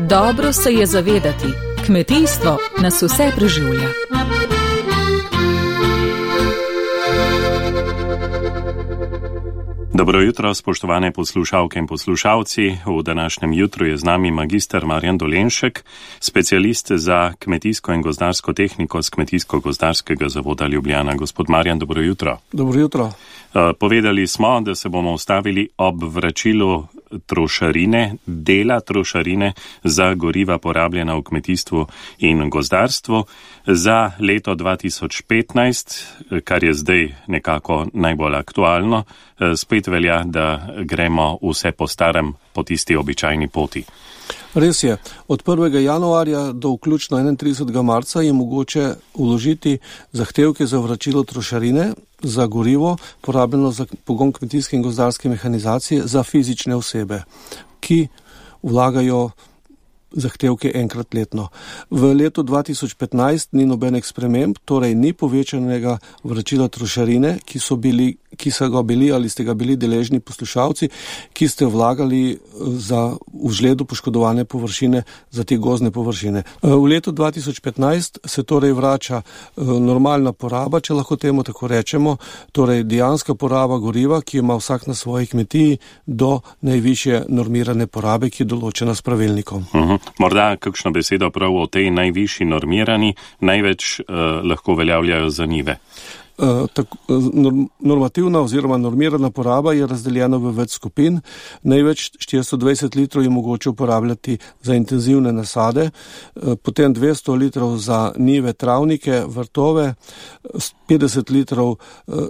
Dobro se je zavedati, kmetijstvo nas vse preživlja. Dobro jutro, spoštovane poslušalke in poslušalci. V današnjem jutru je z nami magister Marjan Dolenšek, specialist za kmetijsko in gozdarsko tehniko z Kmetijsko-gozdarskega zavoda Ljubljana. Gospod Marjan, dobro jutro. Dobro jutro. Povedali smo, da se bomo ustavili ob vračilu trošarine, dela trošarine za goriva porabljena v kmetijstvu in gozdarstvu za leto 2015, kar je zdaj nekako najbolj aktualno. Spet velja, da gremo vse po starem, po tisti običajni poti. Res je. Od 1. januarja do vključno 31. marca je mogoče vložiti zahtevke za vračilo trošarine za gorivo, porabljeno za pogon kmetijske in gozdarske mehanizacije za fizične osebe, ki vlagajo zahtevke enkrat letno. V letu 2015 ni nobenih sprememb, torej ni povečanega vračila trošarine, ki so ga bili ali ste ga bili deležni poslušalci, ki ste vlagali za v žledu poškodovane površine za te gozdne površine. V letu 2015 se torej vrača normalna poraba, če lahko temu tako rečemo, torej dejanska poraba goriva, ki ima vsak na svoji kmetiji do najvišje normirane porabe, ki je določena s pravilnikom. Morda kakšno besedo prav o tej najvišji normirani, največ lahko uveljavljajo za njive. Normativna oziroma normirana poraba je razdeljena v več skupin. Največ 420 litrov je mogoče uporabljati za intenzivne nasade, potem 200 litrov za njive, travnike, vrtove, 50 litrov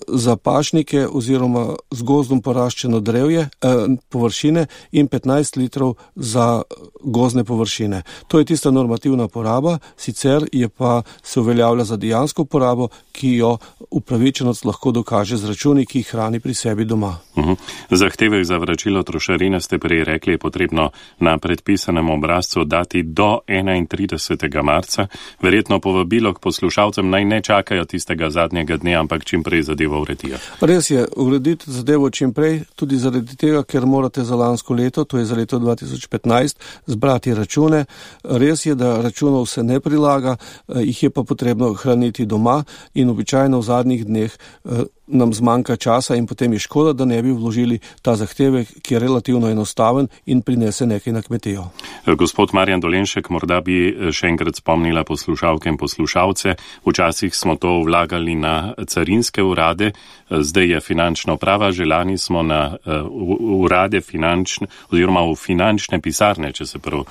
za pašnike oziroma z gozdom poraščeno drevje, površine in 15 litrov za gozdne površine. To je tista normativna poraba, sicer je pa se uveljavlja za dejansko porabo, ki jo upravičenost lahko dokaže z računi, ki jih hrani pri sebi doma. Zahtevek za vračilo trošarine ste prej rekli, je potrebno na predpisanem obrazcu dati do 31. marca. Verjetno povabilo k poslušalcem naj ne čakajo tistega zadnjega dne, ampak čim prej zadevo uredijo. Res je, urediti zadevo čim prej, tudi zaradi tega, ker morate za lansko leto, to je za leto 2015, zbrati račune. Res je, da računov se ne prilaga, jih je pa potrebno hraniti doma in običajno v zadnjih dneh nam zmanjka časa in potem je škoda, da ne bi vložili ta zahtevek, ki je relativno enostaven in prinese nekaj na kmetijo. Gospod Marjan Dolenšek, morda bi še enkrat spomnila poslušalke in poslušalce. Včasih smo to vlagali na carinske urade, zdaj je finančna uprava, že lani smo na urade finančne oziroma v finančne pisarne, če se prav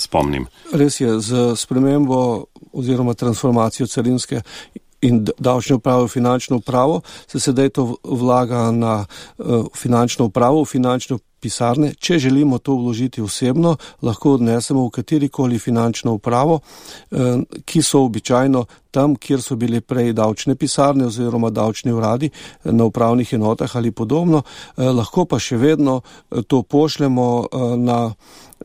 spomnim. Res je, z spremembo oziroma transformacijo carinske in davčne uprave v finančno upravo se sedaj to vlaga na finančno upravo, v finančno pisarne. Če želimo to vložiti osebno, lahko odnesemo v katerikoli finančno upravo, ki so običajno tam, kjer so bile prej davčne pisarne oziroma davčni uradi na upravnih enotah ali podobno. Lahko pa še vedno to pošljemo na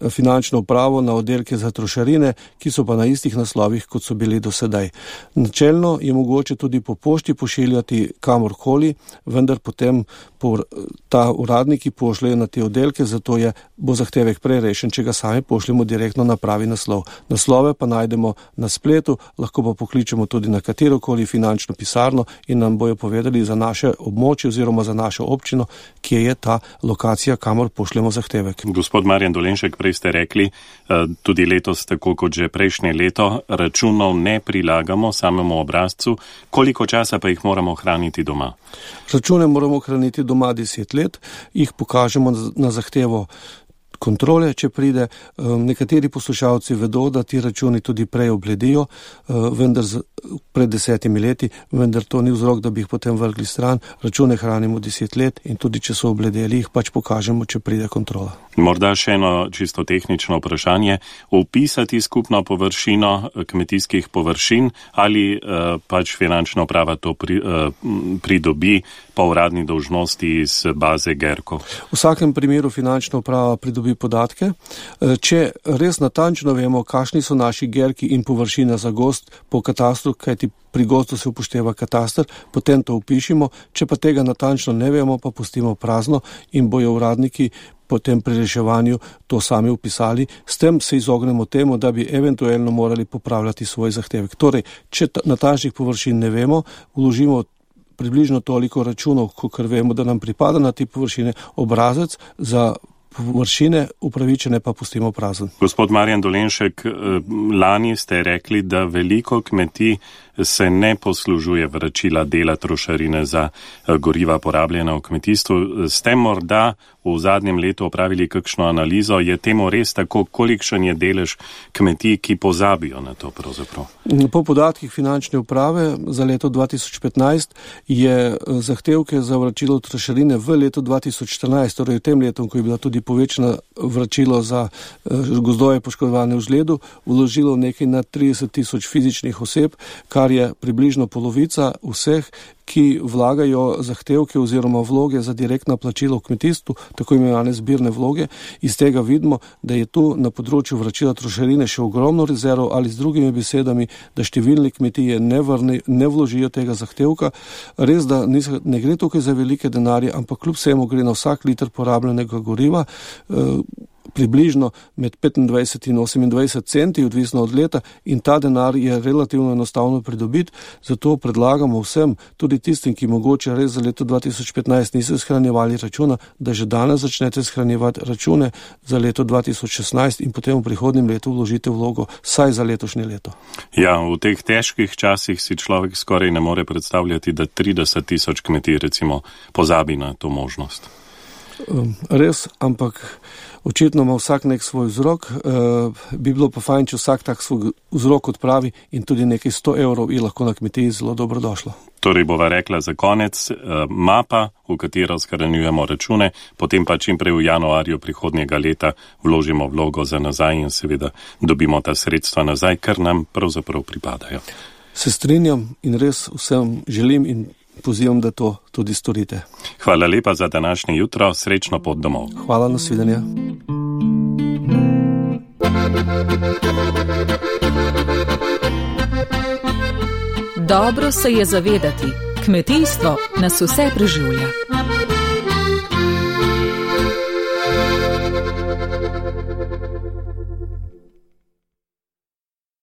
finančno upravo, na oddelke za trošarine, ki so pa na istih naslovih, kot so bili do sedaj. Načelno je mogoče tudi po pošti pošiljati kamorkoli, vendar potem ta uradniki pošljajo na te oddelke, zato bo zahtevek prej rešen, če ga sami pošljemo direktno na pravi naslov. Naslove pa najdemo na spletu, lahko pa pokličemo tudi na katerokoli finančno pisarno in nam bojo povedali za naše območje oziroma za našo občino, kje je ta lokacija, kamor pošljemo zahtevek. Gospod Marjan Dolenšek, prej ste rekli, tudi letos, tako kot že prejšnje leto, računov ne prilagamo samemu obrazcu. Koliko časa pa jih moramo hraniti doma? Račune moramo hraniti doma 10 let, jih pokažemo na zahtevo kontrole, če pride. Nekateri poslušalci vedo, da ti računi tudi prej obledijo, vendar pred 10 leti, vendar to ni vzrok, da bi jih potem vrgli stran. Račune hranimo 10 let in tudi če so obledeli, jih pač pokažemo, če pride kontrola. Morda še eno čisto tehnično vprašanje. Upisati skupno površino kmetijskih površin ali pač finančna uprava to pridobi po uradni dolžnosti iz baze Gerko? V vsakem primeru finančna uprava pridobi tudi podatke. Če res natančno vemo, kakšni so naši gerki in površina za gozd po katastru, kajti pri gozdu se upošteva katastr, potem to upišimo, če pa tega natančno ne vemo, pa pustimo prazno in bojo uradniki potem pri reševanju to sami upisali. S tem se izognemo temu, da bi eventualno morali popravljati svoj zahtevek. Torej, če natančnih površin ne vemo, vložimo približno toliko računov, kolikor vemo, da nam pripada na te površine, obrazec za površine upravičene pa pustimo prazen. Gospod Marjan Dolenšek, lani ste rekli, da veliko kmetij se ne poslužuje vračila dela trošarine za goriva porabljena v kmetijstvu. Ste morda v zadnjem letu opravili kakšno analizo? Je temu res tako, kolikšen je delež kmetij, ki pozabijo na to pravzaprav? Po podatkih finančne uprave za leto 2015 je zahtevke za vračilo trošarine v letu 2014, torej v tem letu, ko je bila tudi povečana vračilo za gozdove poškodovane v žledu, vložilo nekaj na 30 tisoč fizičnih oseb, kar je približno polovica vseh, ki vlagajo zahtevke oziroma vloge za direktno plačilo v kmetijstvu, tako imenovane zbirne vloge. Iz tega vidimo, da je tu na področju vračila trošarine še ogromno rezerv, ali z drugimi besedami, da številne kmetije ne vložijo tega zahtevka. Res, da ne gre tukaj za velike denarje, ampak kljub vsemu gre na vsak liter porabljenega goriva približno med 25 in 28 centi, odvisno od leta, in ta denar je relativno enostavno pridobiti, zato predlagamo vsem, tudi tistim, ki mogoče res za leto 2015 niso shranjevali računa, da že danes začnete shranjevati račune za leto 2016 in potem v prihodnjem letu vložite vlogo saj za letošnje leto. Ja, v teh težkih časih si človek skoraj ne more predstavljati, da 30 tisoč kmetij recimo pozabi na to možnost. Res, ampak očitno ima vsak nek svoj vzrok, bi bilo pa fajn, če vsak tak svoj vzrok odpravi in tudi nekaj 100 evrov je lahko na kmetiji zelo dobro došlo. Torej bova rekla za konec, mapa, v katero shranjujemo račune, potem pa čim prej v januarju prihodnjega leta vložimo vlogo za nazaj in seveda dobimo ta sredstva nazaj, kar nam pravzaprav pripadajo. Se strinjam in res vsem želim in pozivam, da to tudi storite. Hvala lepa za današnje jutro, srečno pot domov. Hvala, nasvidenja. Dobro se je zavedati, kmetijstvo nas vse preživlja.